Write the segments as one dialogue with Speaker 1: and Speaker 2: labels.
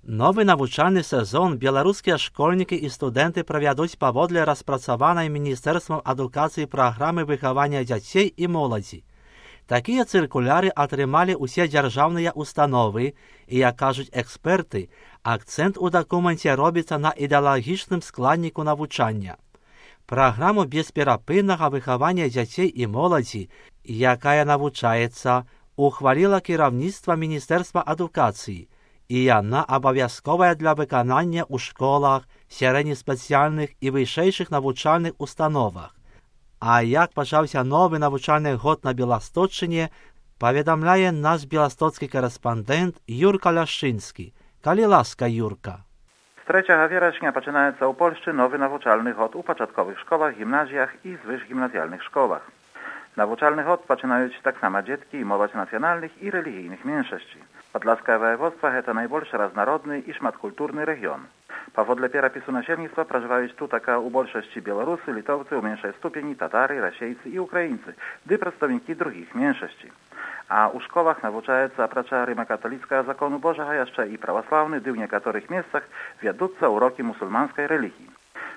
Speaker 1: Новы навучальны сезон беларускія школьнікі і студэнты правядуць паводле распрацаванай Міністэрствам адукацыі праграмы выхавання дзяцей і моладзі. Такія цыркуляры атрымалі ўсе дзяржаўныя установы і, як кажуць эксперты, акцэнт у дакуменце робіцца на ідэалагічным складніку навучання. Праграму бесперапыннага выхавання дзяцей і моладзі, якая навучаецца, ухваліла кіраўніцтва Міністэрства адукацыі, і яна абавязковая для выканання ў школах, сярэднеспецыяльных і вышэйшых навучальных установах. А як пачаўся новы навучальны год на Беласточчыне, паведамляе наш беластоцкі корэспандэнт Юрка Ляшчынскі. Калі ласка, Юрка.
Speaker 2: Z 3 września zaczynaється у Польщі новий навчальний год у початкових школах, гімназіях і звишгімназіальних школах. Навчальний год починають так само дітки і молодь національних і релігійних меншості. Podlaskie województwo to najbardziej różnorodny i szmatkulturny region. Powodle pieropisu nasiennictwa przeżywają tu taka u większości Białorusy, Litowcy, u mniejszej stopni Tatary, Rasiejcy i Ukraińcy, gdy przedstawiciele drugich mniejszości. A u szkołach nauczaється oprócz rzymskokatolickiego zakonu Bożego jeszcze i prawosławny, gdy w niektórych miejscach wiodące uroki muzułmańskiej religii.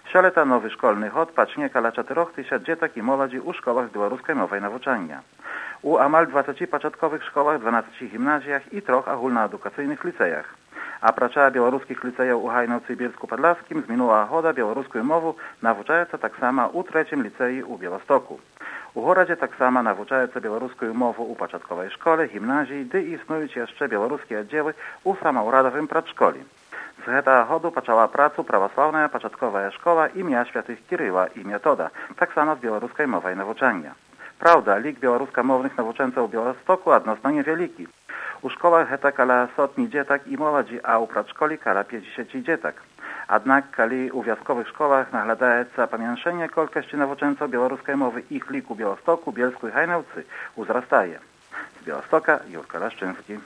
Speaker 2: Szaleta nowy szkolny hod pacznie kala 4000 dzieciak i młodzi u szkołach białoruskiej mowy nauczania. U amal 20 początkowych szkołach, 12 gimnazjach i 3 ogólnoedukacyjnych licejach. A pracza białoruskich licejów u Hajnowcu i Bielsku-Podlaskim z minula goda białoruską mowę nauczaється tak samo u 3 licei u Białostoku. U Gorodzie tak samo nauczaється białoruską mowę u początkowej szkole, gimnazji, gdy istnieją jeszcze białoruskie oddziały u samouradowym przedszkoli. Z tego hodu poczęła pracę prawosławna początkowa szkoła imienia świętych Kiryła i Metoda, tak samo z białoruskiej mowy nauczania. Prawda, lik białoruskомовnych nauczęców u Białostoku odnośnie niewielki. U szkołach jest kala 100 dzieciak i młodzi, a u przedszkoli kala 50 dzieciak. Jednak, kiedy u wioskowych szkołach naglądaється pomiększenie kolkości nauczęców białoruskiej mowy, ich lik u Białostoku, Bielsku i Hajnowcy wzrastaje. Z Białostoka Jurka Laszczynski.